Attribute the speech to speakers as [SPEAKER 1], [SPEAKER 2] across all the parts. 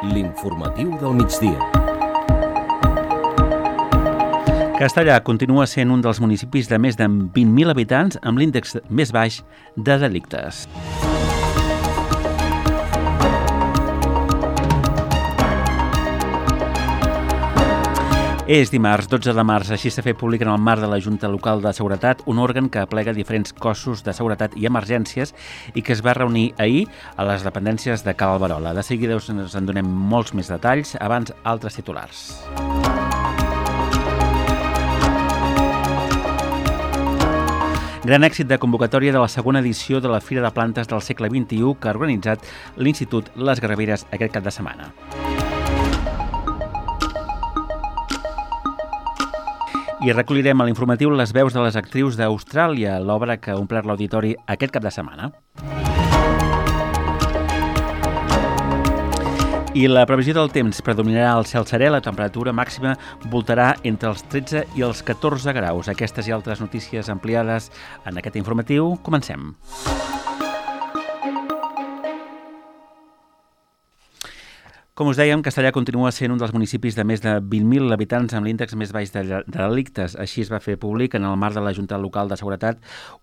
[SPEAKER 1] L'informatiu del migdia.
[SPEAKER 2] Castellar continua sent un dels municipis de més de 20.000 habitants amb l'índex més baix de delictes. És dimarts, 12 de març, així s'ha fet públic en el marc de la Junta Local de Seguretat, un òrgan que aplega diferents cossos de seguretat i emergències i que es va reunir ahir a les dependències de Cal Alberola. De seguida us en donem molts més detalls, abans altres titulars. Gran èxit de convocatòria de la segona edició de la Fira de Plantes del segle XXI que ha organitzat l'Institut Les Garraveres aquest cap de setmana. I recollirem a l'informatiu les veus de les actrius d'Austràlia, l'obra que ha omplert l'auditori aquest cap de setmana. I la previsió del temps predominarà al cel serè, la temperatura màxima voltarà entre els 13 i els 14 graus. Aquestes i altres notícies ampliades en aquest informatiu. Comencem. Com us dèiem, Castellar continua sent un dels municipis de més de 20.000 habitants amb l'índex més baix de delictes. Així es va fer públic en el marc de la Junta Local de Seguretat,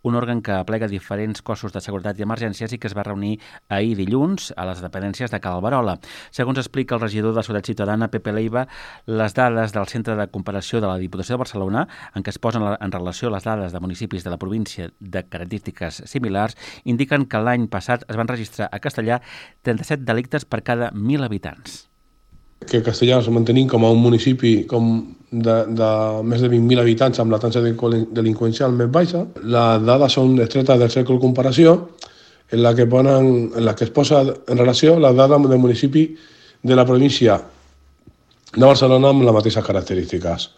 [SPEAKER 2] un òrgan que aplega diferents cossos de seguretat i emergències i que es va reunir ahir dilluns a les dependències de Cal Alberola. Segons explica el regidor de Seguretat Ciutadana, Pepe Leiva, les dades del Centre de Comparació de la Diputació de Barcelona, en què es posen en relació les dades de municipis de la província de característiques similars, indiquen que l'any passat es van registrar a Castellar 37 delictes per cada 1.000 habitants.
[SPEAKER 3] Que Castellar es mantenim com a un municipi de més de 20.000 habitants amb la taxa delinqüencial més baixa. Les dades són extretes del cercle de comparació en la que es posa en relació les dades del municipi de la província de Barcelona amb les mateixes característiques.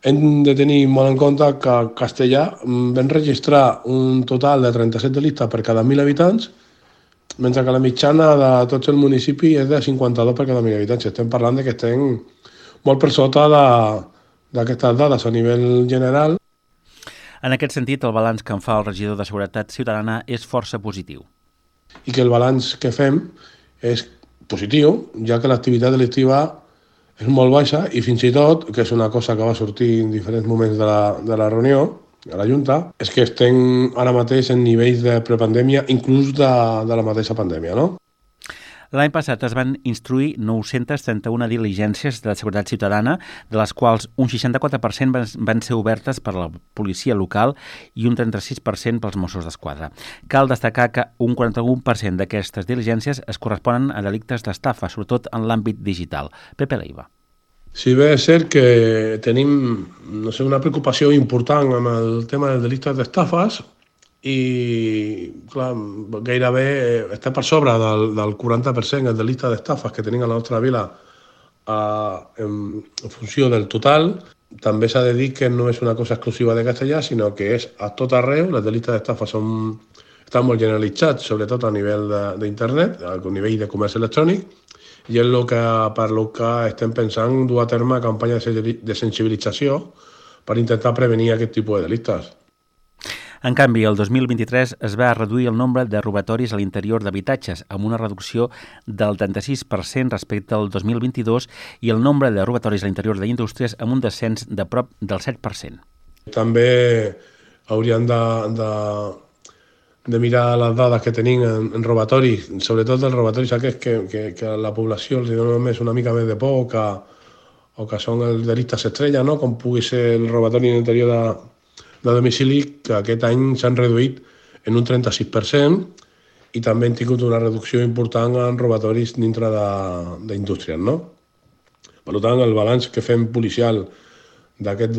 [SPEAKER 3] Hem de tenir molt en compte que a Castellar vam registrar un total de 37 delictes per cada 1.000 habitants, mentre que la mitjana de tots els municipis és de 52 per cada 1.000 habitants. Estem parlant que estem molt per sota d'aquestes dades a nivell general.
[SPEAKER 2] En aquest sentit, el balanç que en fa el regidor de Seguretat Ciutadana és força positiu.
[SPEAKER 3] I que el balanç que fem és positiu, ja que l'activitat delictiva és molt baixa i fins i tot, que és una cosa que va sortir en diferents moments de la reunió, a la Junta, és que estem ara mateix en nivells de prepandèmia, inclús de la mateixa pandèmia, no?
[SPEAKER 2] L'any passat es van instruir 931 diligències de seguretat ciutadana, de les quals un 64% van ser obertes per la policia local i un 36% pels Mossos d'Esquadra. Cal destacar que un 41% d'aquestes diligències es corresponen a delictes d'estafa, sobretot en l'àmbit digital. Pepe Leiva.
[SPEAKER 3] Si bé és cert que tenim una preocupació important amb el tema dels delictes d'estafes i clar, gairebé està per sobre del 40% el delicte d'estafes que tenim a la nostra vila en funció del total. També s'ha de dir que no és una cosa exclusiva de Castellar, sinó que és a tot arreu. Els delictes d'estafes estan molt generalitzats, sobretot a nivell d'internet, a nivell de comerç electrònic, i és per lo que estem pensant dur a terme campanya de sensibilització per intentar prevenir aquest tipus de delictes.
[SPEAKER 2] En canvi, el 2023 es va reduir el nombre de robatoris a l'interior d'habitatges, amb una reducció del 36% respecte al 2022 i el nombre de robatoris a l'interior d'indústries amb un descens de prop del 7%.
[SPEAKER 3] També hauríem de mirar les dades que tenim en robatoris, sobretot els robatoris aquests que a la població els dona només una mica més de por o que són els delictes estrella, no? Com pugui ser el robatori en l'interior de domicili, que aquest any s'han reduït en un 36% i també hem tingut una reducció important en robatoris dintre d'indústries, no? Per tant, el balanç que fem policial d'aquest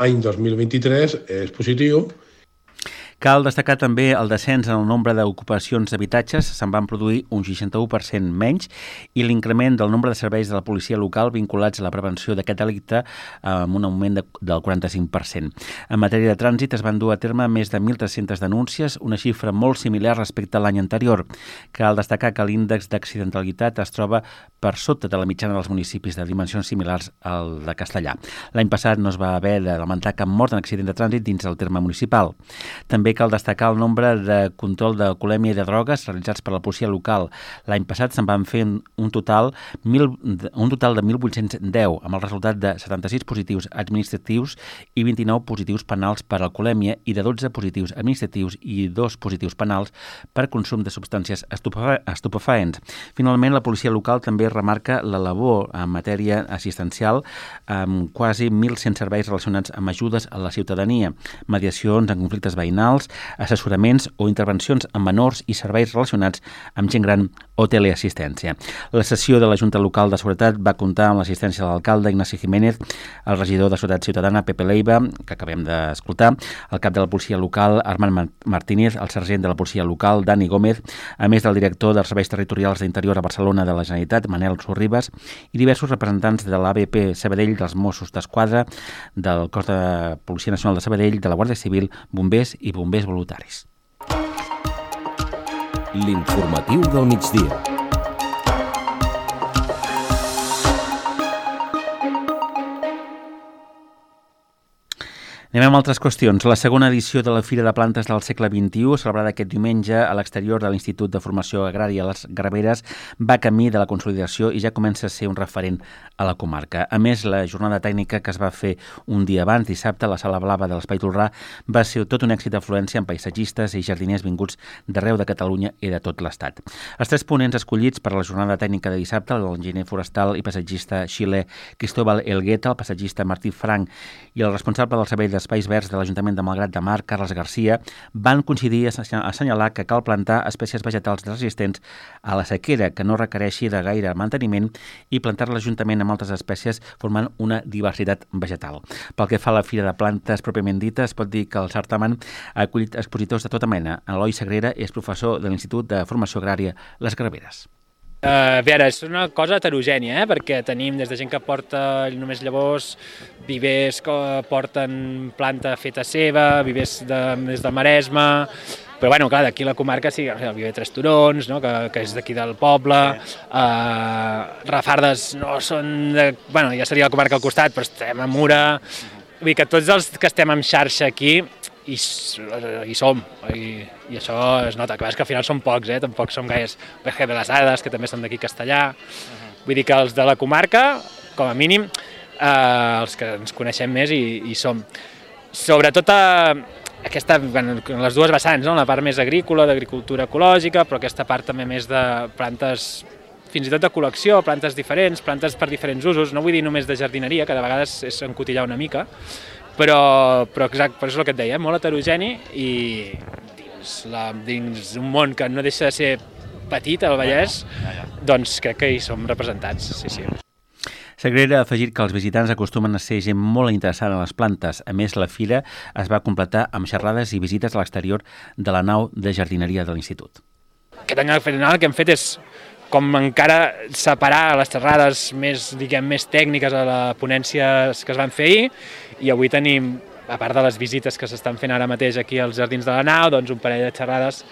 [SPEAKER 3] any 2023 és positiu.
[SPEAKER 2] Cal destacar també el descens en el nombre d'ocupacions d'habitatges, se'n van produir un 61% menys, i l'increment del nombre de serveis de la policia local vinculats a la prevenció d'aquest delicte amb un augment del 45%. En matèria de trànsit es van dur a terme més de 1.300 denúncies, una xifra molt similar respecte a l'any anterior. Cal destacar que l'índex d'accidentalitat es troba per sota de la mitjana dels municipis de dimensions similars al de Castellar. L'any passat no es va haver de lamentar cap mort en accident de trànsit dins del terme municipal. També També cal destacar el nombre de control d'alcoholèmia i de drogues realitzats per la policia local. L'any passat se'n van fer un total de 1.810, amb el resultat de 76 positius administratius i 29 positius penals per alcoholèmia i de 12 positius administratius i 2 positius penals per consum de substàncies estupefaents. Finalment, la policia local també remarca la labor en matèria assistencial amb quasi 1.100 serveis relacionats amb ajudes a la ciutadania, mediacions en conflictes veïnals, assessoraments o intervencions amb menors i serveis relacionats amb gent gran o teleassistència. La sessió de la Junta Local de Seguretat va comptar amb l'assistència de l'alcalde Ignasi Jiménez, el regidor de Seguretat Ciutadana Pepe Leiva, que acabem d'escoltar, el cap de la policia local Armand Martínez, el sergent de la policia local Dani Gómez, a més del director dels serveis territorials d'Interior a Barcelona de la Generalitat, Manel Sorribas, i diversos representants de l'ABP Sabadell, dels Mossos d'Esquadra, del Cos de Policia Nacional de Sabadell, de la Guàrdia Civil, bombers i bombers voluntaris.
[SPEAKER 1] L'informatiu del migdia.
[SPEAKER 2] Anem amb altres qüestions. La segona edició de la Fira de Plantes del segle XXI, celebrada aquest diumenge a l'exterior de l'Institut de Formació Agrària Les Graveres, va camí de la consolidació i ja comença a ser un referent a la comarca. A més, la jornada tècnica que es va fer un dia abans, dissabte, a la Sala Blava de l'Espai Tolrà, va ser tot un èxit d'afluència amb paisatgistes i jardiners vinguts d'arreu de Catalunya i de tot l'Estat. Els 3 ponents escollits per a la jornada tècnica de dissabte, l'enginyer forestal i paisatgista xilè Cristóbal Elgueta, el paisatgista Martí Frank i el responsable del Servei d'Espais Verds de l'Ajuntament de Malgrat de Mar, Carles Garcia, van coincidir a assenyalar que cal plantar espècies vegetals resistents a la sequera, que no requereixi de gaire manteniment, i plantar-les juntament amb altres espècies formant una diversitat vegetal. Pel que fa a la Fira de Plantes pròpiament dita, es pot dir que el certamen ha acollit expositors de tota mena. Eloi Sagrera és professor de l'Institut de Formació Agrària Les Graveres.
[SPEAKER 4] A veure, és una cosa heterogènia, perquè tenim des de gent que porta només llavors, vivers que porten planta feta seva, vivers des del Maresme, però bueno, clar, d'aquí la comarca sí, el viver Tres Turons, no? que és d'aquí del poble, Rafardes no són de... Bueno, ja seria la comarca al costat, però estem a Mura, vull dir que tots els que estem en xarxa aquí hi som, i això es nota, que al final som pocs, tampoc som gaires. Verge de les Ades, que també són d'aquí Castellà, vull dir que els de la comarca, com a mínim, els que ens coneixem més hi som. Sobretot aquesta, les dues vessants, no? La part més agrícola, d'agricultura ecològica, però aquesta part també més de plantes, fins i tot de col·lecció, plantes diferents, plantes per diferents usos, no vull dir només de jardineria, que de vegades és encotillar una mica, però exacte, per això és el que et deia, molt heterogeni i dins un món que no deixa de ser petit, el Vallès, doncs crec que hi som representats, sí.
[SPEAKER 2] Sagrera ha afegit que els visitants acostumen a ser gent molt interessada en les plantes. A més, la fira es va completar amb xerrades i visites a l'exterior de la nau de jardineria de l'Institut.
[SPEAKER 4] Aquest any al final el que hem fet és com encara separar les xerrades més tècniques a la ponència que es van fer ahir, i avui tenim, a part de les visites que s'estan fent ara mateix aquí als jardins de la nau, doncs un parell de xerrades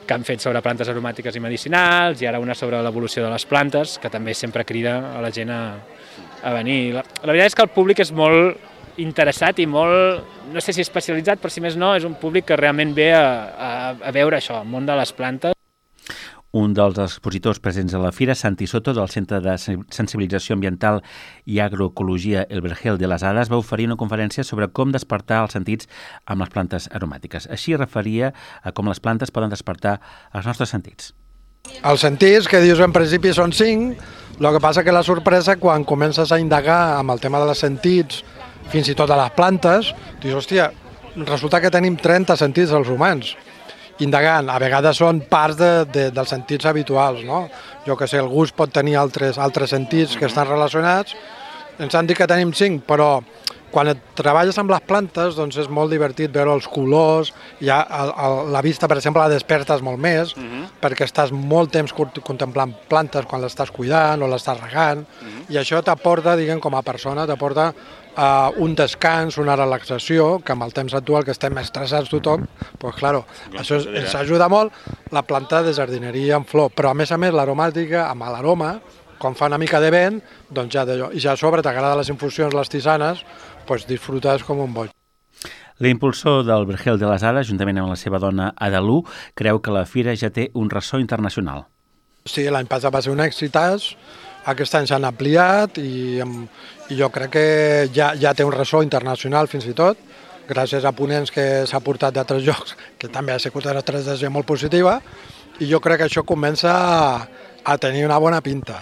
[SPEAKER 4] que han fet sobre plantes aromàtiques i medicinals, i ara una sobre l'evolució de les plantes, que també sempre crida a la gent a venir. La veritat és que el públic és molt interessat i molt, no sé si especialitzat, però si més no, és un públic que realment ve a veure això, el món de les plantes.
[SPEAKER 2] Un dels expositors presents a la fira, Santi Soto, del Centre de Sensibilització Ambiental i Agroecologia El Vergel de les Ades, va oferir una conferència sobre com despertar els sentits amb les plantes aromàtiques. Així referia a com les plantes poden despertar els nostres sentits.
[SPEAKER 5] Els sentits, que dius en principi són 5, el que passa que la sorpresa quan comences a indagar amb el tema dels sentits, fins i tot a les plantes, dius, hòstia, resulta que tenim 30 sentits els humans. Indagant, a vegades són parts dels sentits habituals, no? Jo que sé, el gust pot tenir altres sentits que estan relacionats, ens han dit que tenim 5, però quan treballes amb les plantes doncs és molt divertit veure els colors, ja la vista, per exemple, la despertes molt més, perquè estàs molt temps contemplant plantes quan l'estàs cuidant o l'estàs regant, i això t'aporta, diguem, com a persona, t'aporta un descans, una relaxació, que amb el temps actual que estem estressats tothom, doncs clar, això ens ajuda molt, la planta de jardineria en flor, però a més l'aromàtica, amb l'aroma, quan fa una mica de vent, doncs ja d'allò, i ja a sobre t'agraden les infusions, les tisanes, doncs disfrutes com un boig.
[SPEAKER 2] L'impulsor del Vergel de les Hades, juntament amb la seva dona Adalú, creu que la fira ja té un ressò internacional.
[SPEAKER 5] Sí, l'any passat va ser un èxitàs, aquest any s'han ampliat i jo crec que ja té un ressò internacional fins i tot, gràcies a ponents que s'ha portat d'altres llocs, que també ha sigut una estratègia molt positiva, i jo crec que això comença a tenir una bona pinta.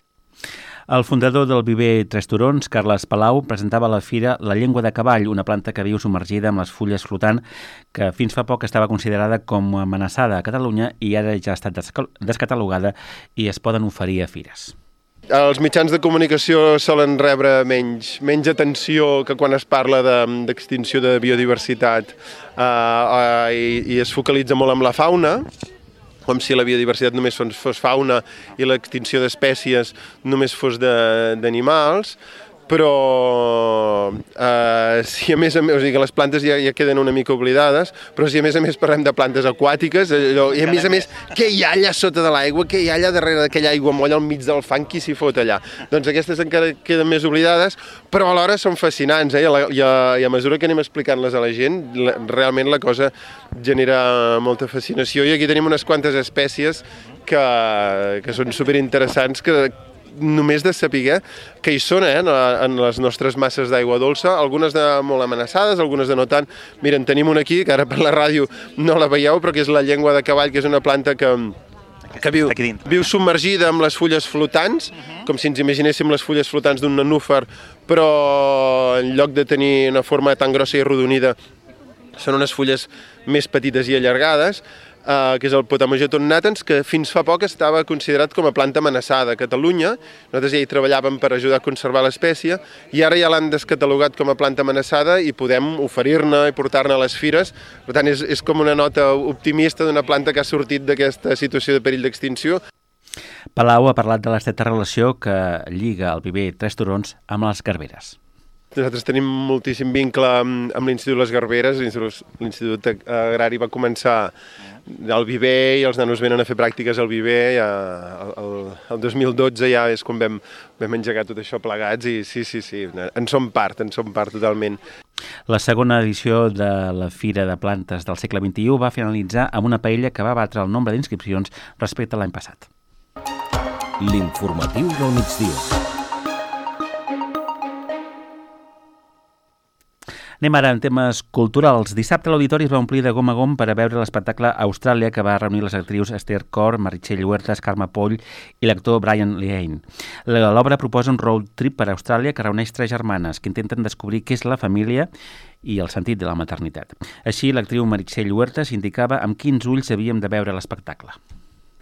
[SPEAKER 2] El fundador del Viver Tres Turons, Carles Palau, presentava a la fira la llengua de cavall, una planta que viu submergida amb les fulles flotant, que fins fa poc estava considerada com amenaçada a Catalunya i ara ja ha estat descatalogada i es poden oferir a fires.
[SPEAKER 6] Els mitjans de comunicació solen rebre menys atenció que quan es parla d'extinció de biodiversitat i es focalitza molt en la fauna, com si la biodiversitat només fos fauna i l'extinció d'espècies només fos d'animals, però si a més o sigui que les plantes ja queden una mica oblidades, però si a més parlem de plantes aquàtiques, i a més, què hi ha allà sota de l'aigua, què hi ha allà darrere d'aquella aigua molla al mig del fang, qui s'hi fot allà? Doncs aquestes encara queden més oblidades, però alhora són fascinants, i a mesura que anem explicant-les a la gent, realment la cosa genera molta fascinació, i aquí tenim unes quantes espècies que són superinteressants, que només de saber que hi són en les nostres masses d'aigua dolça, algunes molt amenaçades, algunes de no tant. Miren, tenim una aquí, que ara per la ràdio no la veieu, però que és la llengua de cavall, que és una planta que viu submergida amb les fulles flotants, com si ens imaginéssim les fulles flotants d'un nenúfar, però en lloc de tenir una forma tan grossa i arrodonida, són unes fulles més petites i allargades, que és el Potamogeton natans, que fins fa poc estava considerat com a planta amenaçada a Catalunya. Nosaltres ja hi treballàvem per ajudar a conservar l'espècie i ara ja l'han descatalogat com a planta amenaçada i podem oferir-ne i portar-ne a les fires. Per tant, és com una nota optimista d'una planta que ha sortit d'aquesta situació de perill d'extinció.
[SPEAKER 2] Palau ha parlat de l'estreta relació que lliga el Viver Tres Turons amb les garberes.
[SPEAKER 6] Nosaltres tenim moltíssim vincle amb l'Institut Les Garberes. L'Institut Agrari va començar al Viver i els nanos venen a fer pràctiques al Viver. El 2012 ja és quan vam engegar tot això plegats i sí, en som part totalment.
[SPEAKER 2] La segona edició de la Fira de Plantes del segle XXI va finalitzar amb una paella que va batre el nombre d'inscripcions respecte a l'any passat.
[SPEAKER 1] L'informatiu del migdia.
[SPEAKER 2] Anem ara en temes culturals. Dissabte l'auditori es va omplir de gom a gom per a veure l'espectacle Austràlia, que va reunir les actrius Esther Cor, Meritxell Huertas, Carme Poll i l'actor Brian Lehane. L'obra proposa un road trip per a Austràlia que reuneix tres germanes que intenten descobrir què és la família i el sentit de la maternitat. Així, l'actriu Meritxell Huertas indicava amb quins ulls havíem de veure l'espectacle.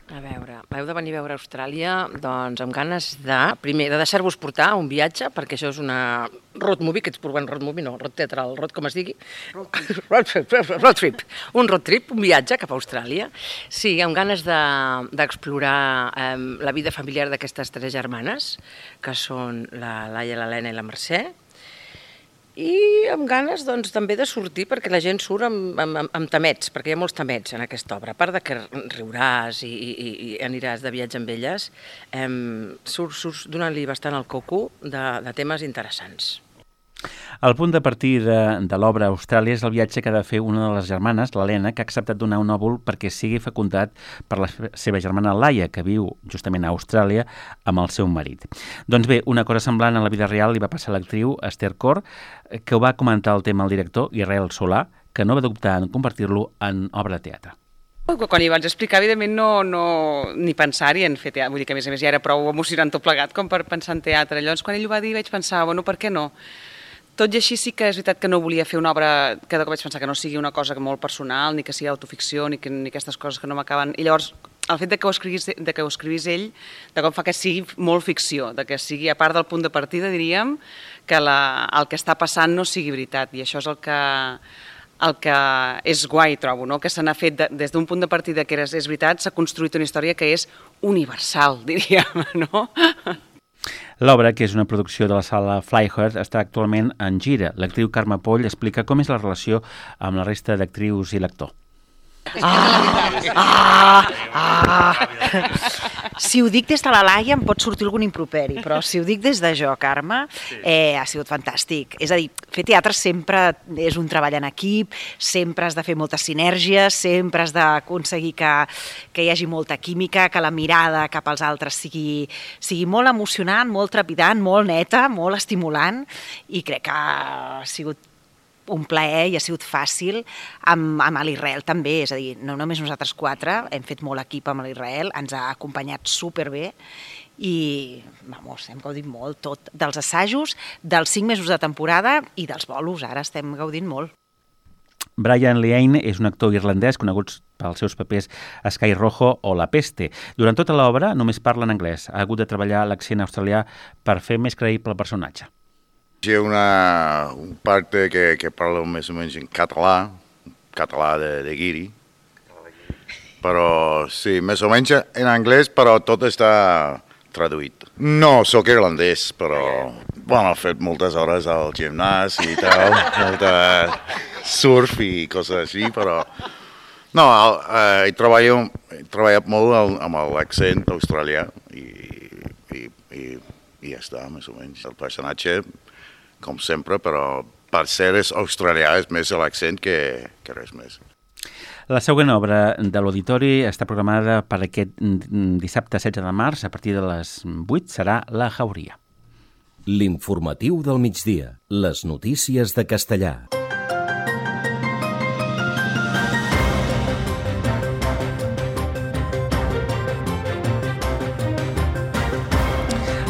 [SPEAKER 7] A veure, heu de venir a veure Austràlia doncs amb ganes primer, de deixar-vos portar a un viatge, perquè això és una road movie, que ets provant road movie, no, road teatral, road com es digui. Road trip. Un road trip, un viatge cap a Austràlia. Sí, amb ganes d'explorar la vida familiar d'aquestes tres germanes, que són la Laia, l'Helena i la Mercè, i amb ganes doncs, també de sortir, perquè la gent surt amb tamets, perquè hi ha molts tamets en aquesta obra. A part de que riuràs i aniràs de viatge amb elles, surts donant-li bastant el coco de temes interessants.
[SPEAKER 2] El punt de partida de l'obra Austràlia és el viatge que ha de fer una de les germanes, l'Helena, que ha acceptat donar un òvul perquè sigui fecundat per la seva germana Laia, que viu justament a Austràlia amb el seu marit. Doncs bé, una cosa semblant a la vida real li va passar a l'actriu Esther Cor, que ho va comentar el tema al director Israel Solà, que no va dubtar en convertir-lo en obra de teatre.
[SPEAKER 8] Quan hi vaig explicar, evidentment, no ni pensar-hi en fer teatre. Vull dir que, a més ja era prou emocionant tot plegat com per pensar en teatre. Llavors, quan ell ho va dir, vaig pensar, bueno, per què no? Tot i així sí que és veritat que no volia fer una obra que de cop vaig pensar que no sigui una cosa molt personal, ni que sigui autoficció, ni aquestes coses que no m'acaben. I llavors, el fet de que ho escrivís ell, de cop fa que sigui molt ficció, de que sigui, a part del punt de partida, diríem, que el que està passant no sigui veritat. I això és el que és guai, trobo, no? Que se n'ha fet des d'un punt de partida que és veritat, s'ha construït una història que és universal, diríem, no?
[SPEAKER 2] L'obra, que és una producció de la sala Flyheart, està actualment en gira. L'actriu Carme Poll explica com és la relació amb la resta d'actrius i l'actor.
[SPEAKER 9] Si ho dic des de la Laia em pot sortir algun improperi, però si ho dic des de jo, Carme, ha sigut fantàstic. És a dir, fer teatre sempre és un treball en equip, sempre has de fer moltes sinergies, sempre has d'aconseguir que hi hagi molta química, que la mirada cap als altres sigui molt emocionant, molt trepidant, molt neta, molt estimulant, i crec que ha sigut un plaer i ha sigut fàcil amb l'Israel també, és a dir, no només nosaltres quatre, hem fet molt equip amb l'Israel, ens ha acompanyat superbé i, hem gaudit molt tot, dels assajos, dels 5 mesos de temporada i dels bolos, ara estem gaudint molt.
[SPEAKER 2] Brian Leane és un actor irlandès conegut pels seus papers a Sky Rojo o La Peste. Durant tota l'obra només parla en anglès. Ha hagut de treballar l'accent australià per fer més creïble el personatge.
[SPEAKER 10] Hi ha un parte que parla més o menys en català de guiri, però sí, més o menys en anglès, però tot està traduït. No, soc irlandès, però he fet moltes hores al gimnàs i tal, molta surf i coses així, però no, he treballat molt amb l'accent australià i ja està, més o menys. El personatge, com sempre, però per ser australià és més l'accent que res més.
[SPEAKER 2] La següent obra de l'Auditori està programada per aquest dissabte 16 de març, a partir de les 8, serà La Jauria.
[SPEAKER 1] L'informatiu del migdia, les notícies de Castellà.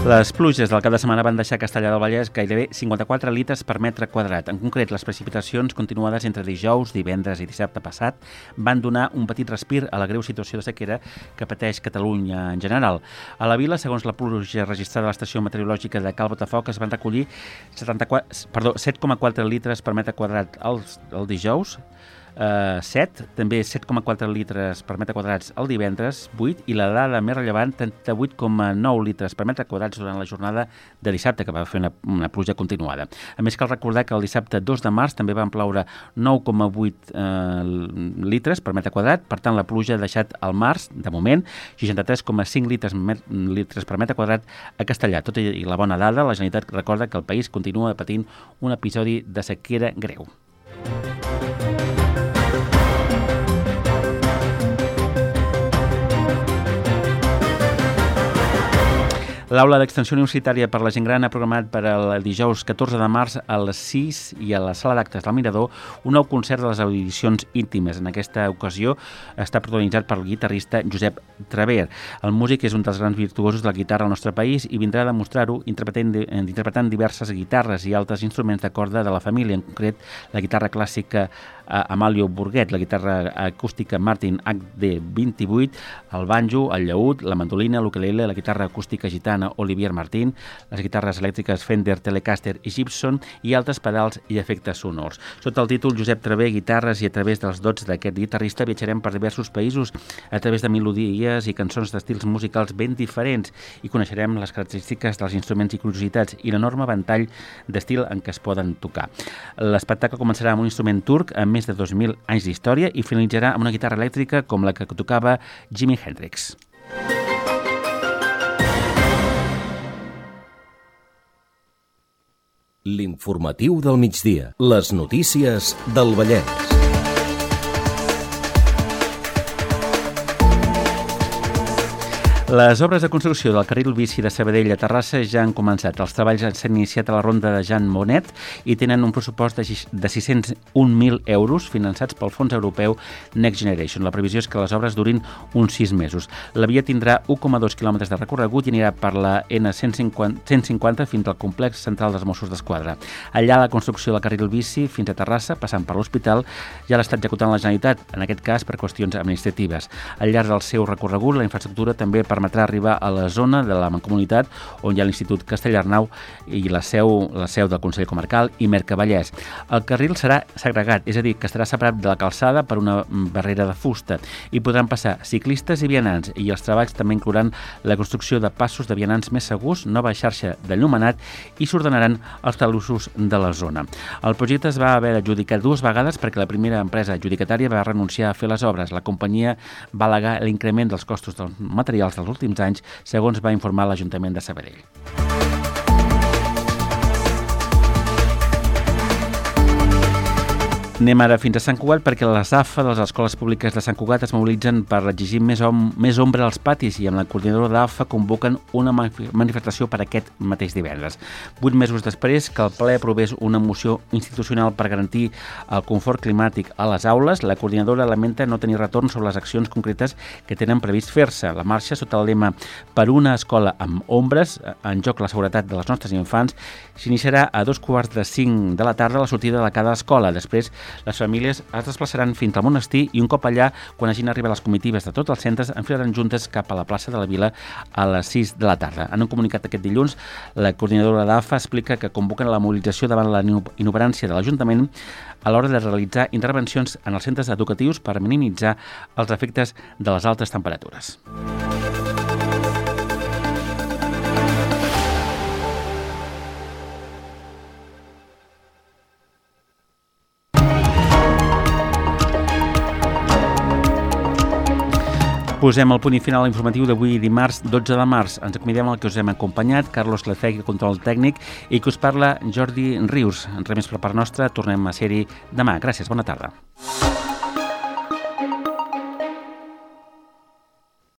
[SPEAKER 2] Les pluges del cap de setmana van deixar a Castellar del Vallès gairebé 54 litres per metre quadrat. En concret, les precipitacions continuades entre dijous, divendres i dissabte passat van donar un petit respir a la greu situació de sequera que pateix Catalunya en general. A la vila, segons la pluja registrada a l'estació meteorològica de Cal Botafoc, es van recollir 7,4 litres per metre quadrat el dijous, 7, també 7,4 litres per metre quadrats el divendres, 8, i la dada més rellevant, 38,9 litres per metre quadrats durant la jornada de dissabte, que va fer una pluja continuada. A més, cal recordar que el dissabte 2 de març també van ploure 9,8 litres per metre quadrat, per tant la pluja ha deixat al març, de moment, 63,5 litres per metre quadrat a Castellar. Tot i la bona dada, la Generalitat recorda que el país continua patint un episodi de sequera greu. L'Aula d'Extensió Universitària per la Gent Gran ha programat per el dijous 14 de març a les 6 i a la sala d'actes del Mirador un nou concert de les audicions íntimes. En aquesta ocasió està protagonitzat per el guitarrista Josep Traver. El músic és un dels grans virtuosos de la guitarra al nostre país i vindrà a demostrar-ho interpretant diverses guitarres i altres instruments de corda de la família, en concret la guitarra clàssica Amalio Burguet, la guitarra acústica Martin HD28, el banjo, el llaüt, la mandolina, l'ukelele, la guitarra acústica gitana Olivier Martín, les guitarres elèctriques Fender, Telecaster i Gibson i altres pedals i efectes sonors. Sota el títol Josep Traver, guitarres, i a través dels dots d'aquest guitarrista viatjarem per diversos països a través de melodies i cançons d'estils musicals ben diferents i coneixerem les característiques dels instruments i curiositats i l'enorme ventall d'estil en què es poden tocar. L'espectacle començarà amb un instrument turc amb més de 2.000 anys d'història i finalitzarà amb una guitarra elèctrica com la que tocava Jimi Hendrix.
[SPEAKER 1] L'informatiu del migdia. Les notícies del Vallès.
[SPEAKER 2] Les obres de construcció del carril bici de Sabadell a Terrassa ja han començat. Els treballs s'han iniciat a la ronda de Jean Monnet i tenen un pressupost de 601.000 euros finançats pel Fons Europeu Next Generation. La previsió és que les obres durin uns 6 mesos. La via tindrà 1,2 quilòmetres de recorregut i anirà per la N150 fins al complex central dels Mossos d'Esquadra. Allà la construcció del carril bici fins a Terrassa, passant per l'hospital, ja l'està executant la Generalitat, en aquest cas per qüestions administratives. Al llarg del seu recorregut, la infraestructura també permetrà permetrà arribar a la zona de la Mancomunitat on hi ha l'Institut Castellarnau i la seu del Consell Comarcal i Mercavallès. El carril serà segregat, és a dir, que estarà separat de la calçada per una barrera de fusta i podran passar ciclistes i vianants, i els treballs també inclouran la construcció de passos de vianants més segurs, nova xarxa d'enllumenat i s'ordenaran els talussos de la zona. El projecte es va haver d'adjudicar 2 vegades perquè la primera empresa adjudicatària va renunciar a fer les obres. La companyia va al·legar l'increment dels costos dels materials dels últims anys, segons va informar l'Ajuntament de Sabadell. Anem ara fins a Sant Cugat perquè les AFA de les escoles públiques de Sant Cugat es mobilitzen per exigir més ombra als patis i amb la coordinadora d'AFA convoquen una manifestació per aquest mateix divendres. 8 mesos després que el ple aprovés una moció institucional per garantir el confort climàtic a les aules, la coordinadora lamenta no tenir retorn sobre les accions concretes que tenen previst fer-se. La marxa, sota el lema "Per una escola amb ombres, en joc la seguretat dels nostres infants", s'iniciarà a 4:45 de la tarda a la sortida de cada escola. Després, les famílies es desplaçaran fins al monestir i un cop allà, quan hagin arribat les comitives de tots els centres, enfilaran juntes cap a la plaça de la Vila a les 6 de la tarda. En un comunicat aquest dilluns, la coordinadora d'AFA explica que convoquen la mobilització davant la inoperància de l'Ajuntament a l'hora de realitzar intervencions en els centres educatius per minimitzar els efectes de les altes temperatures. Posem el punt i final informatiu d'avui dimarts 12 de març. Ens acomiadem al que us hem acompanyat, Carlos Lecegui, control tècnic, i que us parla Jordi Rius. Res més per part nostra, tornem a ser-hi demà. Gràcies, bona tarda.